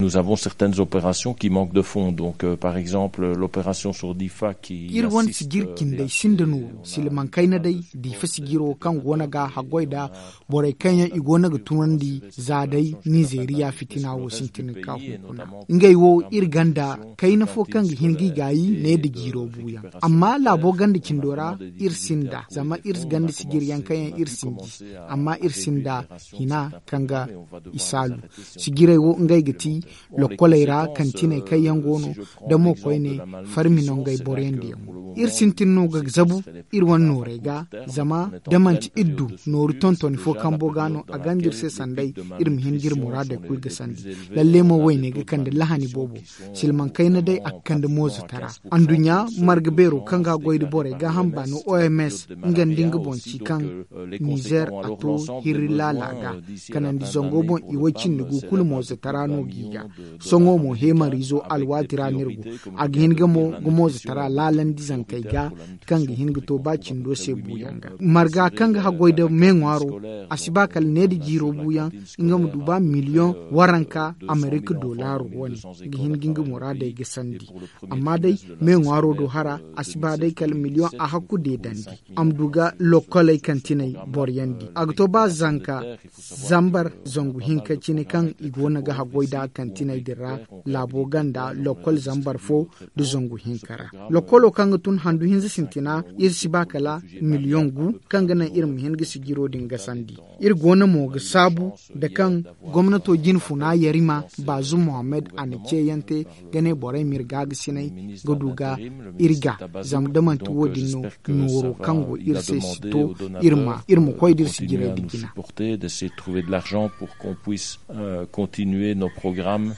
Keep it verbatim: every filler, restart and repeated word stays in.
Nous avons certaines opérations qui manquent de fonds, donc, euh, par exemple, l'opération sur Difa qui iri wane assiste, sijir euh, cindey sinda nooru, silmaŋ kayna day Difa sijiro kaŋ go no ga haggoy nda borey kaŋ yaŋ i go no ga tunandi za day Nizeeriya fitina wo sintin ka hunkuna. Ngey wo iri gonda kayna fo kaŋ ga hin g'i gaayi ne nda jiiro buuyaŋ. Amma laabo ganda cindo ra iri sinda, zama iri ganda sijir yaŋ kaŋ yaŋ iri sinji, amma iri sinda hina kaŋ ga i saalu. Sijirey wo ngey ga ti lokkoley ra kantiney kaŋ yaŋ go no, da mo koyne farmi no ngey boroyandiyaŋo. Iri sintin no ga zabu iri wane noorey ga, zama da manti iri du nooru tontoni fo kambo ga no, a gonda iri se sanday iri ma hin ga iri muraadey kulu ga sandi. Lalle mo, wayne ga kande lahani boobo. Silmaŋ kayna day a ga kande moozatara. Anduɲɲa marga beero kaŋ ga goy nda borey gaaham baano, oms, nga nda nga boŋ ci kaŋ nizer a to hirri laala ga, kanandi zango boŋ i way cindi gu kulu moozatara no g'i ga. Sohõ mo heemariizo alwaati ra no iri go. A ga hin ga mo ga moozatara laalandi zankey ga, kaŋ ga hin ga to ba cindo se buuyaŋ ga. Marga kaŋ ga haggoy nda me ŋwaaro, a si ba kala ne nda jiiro buuyaŋ, nga ma du ba miliyoŋ waranka amerika dollar wane ga hin ga nga muraadey ga sandi. Amma day, me ŋwaaro do hara, a si ba day kala miliyoŋ a hakku deedandi. A ma du ga lokkoley kantiney boroyandi. A ga to ba zanka zambar zangu hinka cine kaŋ i go no ga haggoy nda kantiney din ra, laabo ganda lokkol zambar fo nda zangu hinka ra. Lokkolo kaŋ ga tun handu hinza sintina, iri si ba kala miliyoŋ gu, kaŋ ga naŋ iri ma hin ga sijiro din gasandi. Iri go no mo ga saabu nda kaŋ gomnato jine funa yarima, baazum mohammed, a na ceeyante ga ne borey ma iri gaagasinay ga du ga iri ga. Zama da manti wo-din no, nooro kaŋ go iri se si to, iri ma koy da iri sijirey da jina. De se trouver de l'argent pour qu'on puisse, euh, continuer nos programmes.